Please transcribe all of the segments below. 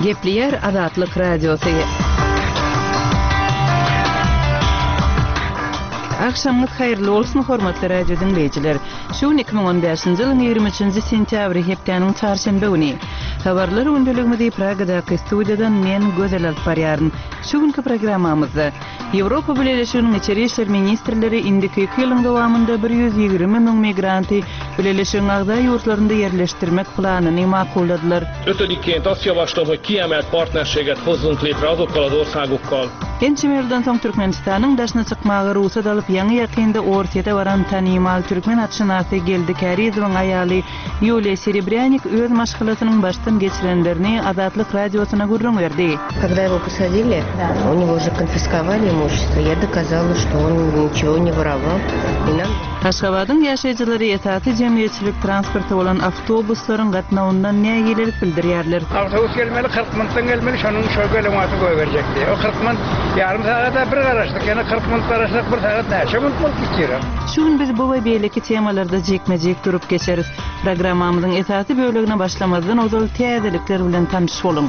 Gepleýär Azatlyk Radiosy. Agşamyňyz haýyrly bolsun, hormatly radio diňleýjiler! Şu gün 2015-nji ýylyň 23-nji sentýabry, hepdäniň çarşenbe güni. Habarlar gündeligimizi Pragadaky studiýadan men, Gözel alyp barýaryn. Şu günki programmamyzda, Ýewropa Bileleşiginiň içeri işler ministrleri indiki iki ýylyň dowamynda 120 müň migranty Bileleşigiň agza ýurtlarynda ýerleşdirmek planyny makulladylar. Ötödikként azt javaslom, hogy kiemelt partnerséget hozzunk létre azokkal az országokkal, Ençeme ýyldan soň Türkmenistanyň daşyna çykmaga rugsat alyp, ýaňy-ýakynda Orsýete baran tanymal türkmen atşynasy Geldi Kärizowyň aýaly Ýuliýa Serebrýanik öz maşgalasynyň başdan geçirenlerini Azatlyk Radiosyna gürrüň berdi. Когда его посадили, у него же конфисковали имущество, я доказала, что он ничего не воровал, и нам. Aşgabadyň ýaşaýjylary esasy jemgyýetçilik transporty bolan awtobuslaryň gatnawyndan nägilelik bildirýärler. Awtobus gelmeli, 40 minutdan gelmeli, şonuň şo gelen wagty goýberjekdi. O 40 minut, ýarym sagada bir garaşdyk, ýene 40 minut garaşsak, bir sagat näçe minut bolup gitýär. Şu gün biz bu we beýleki temalarda jikme-jik durup geçeris. Programmamyzyň esasy bölegine başlamazdan ozal täzelikler bilen tanyş boluň.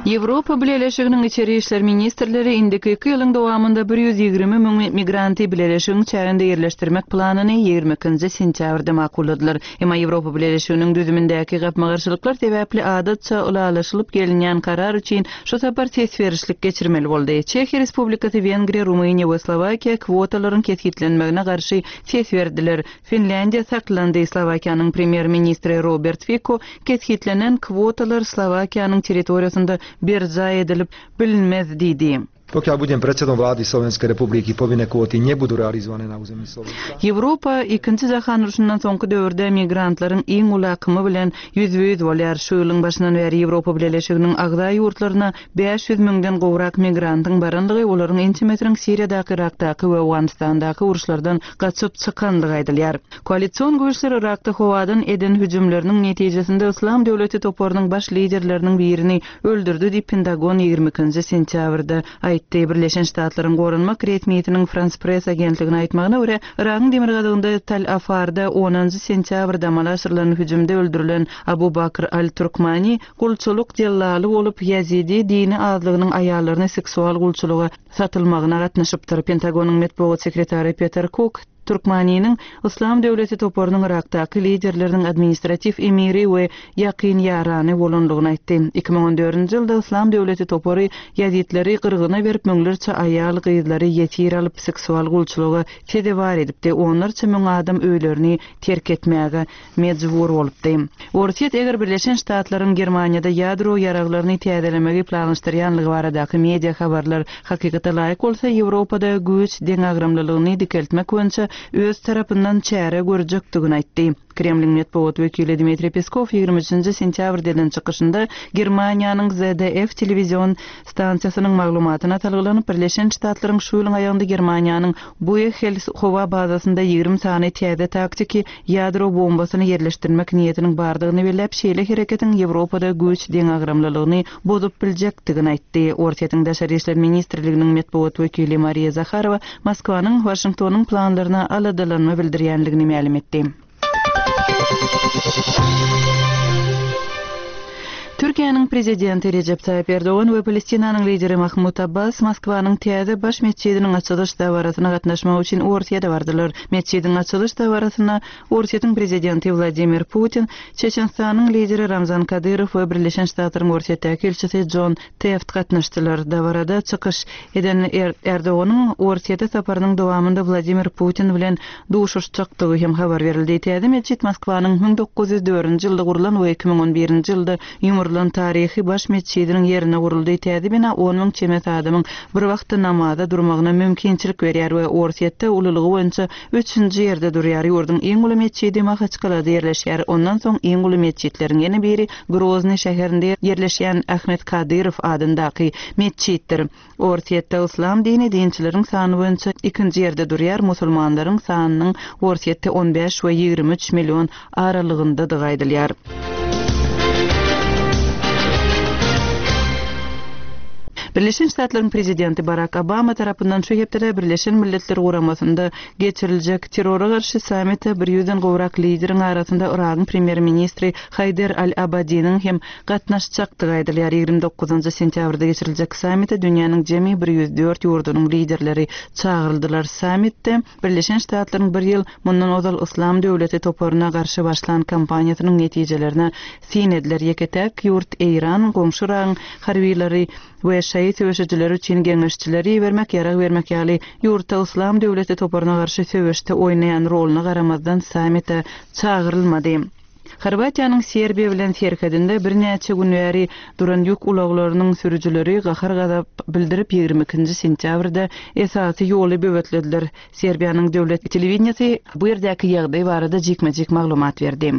Ýewropa Bileleşiginiň içeri işler ministrleri indiki iki ýylyň dowamynda 120 müň migranty bileleşigiň çäginde ýerleşdirmek planyny 22-nji sentýabrda makulladylar. Emma Ýewropa Bileleşiginiň düzümindäki gapma-garşylyklar sebäpli adatça ylalaşylyp gelinýän karar üçin şu sapar ses berişlik geçirmeli boldy. Çehiýa Respublikasy, Wengriýa, Rumyniýa we Slowakiýa kwotalaryň kesgitlenmegine garşy ses berdiler. Finlýandiýa saklandy. Slowakiýanyň premýer-ministri Robert Fiko kesgitlenen kwotalar Slowakiýanyň territoriýasynda berjaý edilip bilinmez diýdi. Pokiaľ budem predsedom vlády Slovenskej republiky, povinné kvóty nebudú realizované na území Slovenska. Ýewropa Ikinji jahan urşundan soňky döwürde migrantlaryň iň uly akymy bilen ýüzbe-ýüz bolýar. Şu ýylyň başyndan bäri Ýewropa Bileleşiginiň agza ýurtlaryna 500 müňden gowrak migrantyň barandygy, olaryň ençemesiniň Siriýadaky, Yrakdaky we Owganystandaky uruşlardan gaçyp çykandygy aýdylýar. Koalision güýçler Yrakda howadan eden hüjümleriniň netijesinde Yslam döwleti toparynyň baş liderleriniň birini öldürdi diýip, Pentagon 22-nji sentýabrda aýtdy. Birleşen Ştatlaryň goranmak resmisiniň Frans Press agentligine aýtmagyna görä, Yragyň demirgazygynda Tal Afarda onunjy sentýabrda amala aşyrylan hüjümde öldürilen Abu Bakr al-Turkmani gulçulyk dellaly bolup, ýazidi dini azlygynyň aýallaryny seksual gulçulyga satylmagyna gatnaşypdyr. Pentagonyň metbugat sekretary Peter Kuk Türkmaniniň Yslam döwleti toparynyň Yrakdaky liderleriniň administratiw emiri we ýakyn ýarany bolandygyny aýtdy. 2014-nji ýylda Yslam döwleti topary ýazidleri gyrgyna berip, müňlerçe aýal-gyzlary ýesir alyp, seksual gulçulyga sezewar edipdi, onlarça müň adam öýlerini terk etmäge mejbur bolupdy. Orsýet eger Birleşen Ştatlaryň Germaniýada ýadro ýaraglaryny täzelemegi planlaşdyrýanlygy baradaky media habarlar hakykata laýyk bolsa, Ýewropada güýç deňagramlylygyny dikeltmek boýunça öz tarapyndan çäre görjekdigini aýtdy. Kremliň metbugat wekili Dmitriý Peskow 23-nji sentýabrda eden çykyşynda Germaniýanyň ZDF telewizion stansiýasynyň maglumatyna salgylanyp, Birleşen Ştatlaryň şu ýylyň aýagynda Germaniýanyň Buehel howa bazasynda 20 sany täze taktiki ýadro bombasyny ýerleşdirmek niýetiniň bardygyny belläp, şeýle hereketiň Ýewropada güýç deňagramlylygyny bozup biljekdigini aýtdy. Orsýetiň Daşary işler ministrliginiň metbugat wekili Mariýa Zaharowa Moskwanyň Waşingtonyň planlaryna aladalanma bildirýändigini mälim etdi. Türkiýäniň Prezidenti Rejep Taýyp Erdogan we Palestinanyň lideri Mahmud Abbas Moskwanyň täze baş metjidiniň açylyş dabarasyna gatnaşmak üçin Orsýete bardylar. Metjidiň açylyş dabarasyna Orsýetiň Prezidenti Wladimir Putin, Çeçenistanyň lideri Ramzan Kadyrow we Birleşen Ştatlaryň Orsýetdäki ilçisi Jon Teft gatnaşdylar. Dabarada çykyş eden Erdoganyň Orsýete saparynyň dowamynda Wladimir Putin bilen duşuşjakdygy hem habar berildi. Täze metjit Moskwanyň 1904-nji ýylda gurlan we 2011-nji ýylda ýumrulan taryhy baş metjidiniň ýerine guruldy. Täze bina on müň çemesi adamyň bir wagtda namaza durmagyna mümkinçilik berýär we Orsýetde ululygy boýunça üçünji ýerde durýar. Ýurduň iň uly metjidi Mahaçkalada ýerleşýär. Ondan soň iň uly metjitleriň ýene biri Groznyý şäherinde ýerleşýän Ahmet Kadyrow adyndaky metjitdir. Orsýetde yslam dini dinçileriň sany boýunça ikinji ýerde durýar, musulmanlaryň sanynyň Orsýetde on bäş we 23 million aralygyndadygy aýdylýar. Birleşen Ştatlaryň prezidenti Barak Obama tarapyndan şu hepdede Birleşen Milletler Guramasynda geçiriljek terrora garşy sammite bir ýüzden gowrak lideriň arasynda Yragyň premýer-ministri Haýder al-Abadiniň hem gatnaşjakdygy aýdylýar. 29 sentýabrda geçiriljek sammite dünýäniň jemi 104 ýurdunyň liderleri çagyryldylar. Sammitde Birleşen Ştatlaryň bir ýyl mundan ozal Yslam döwleti toparyna garşy başlan kampaniýasynyň netijelerine syn ediler. Ýeke-täk ýurt Eýran, goňşy Yragyň harbylary we şaýy söweşijileri üçin geňeşçileri ibermek, ýarag bermek ýaly ýurtda Yslam döwleti toparyna garşy söweşde oýnaýan roluna garamazdan sammite çagyrylmady. Horwatiýanyň Serbiýa bilen serhedinde birnäçe gün bäri duran ýük ulaglarynyň sürüjileri gahar-gazap bildirip, 22-nji sentýabrda esasy ýoly böwetlediler. Serbiýanyň döwlet telewideniýesi bu ýerdäki ýagdaý barada jikme-jik maglumat berdi.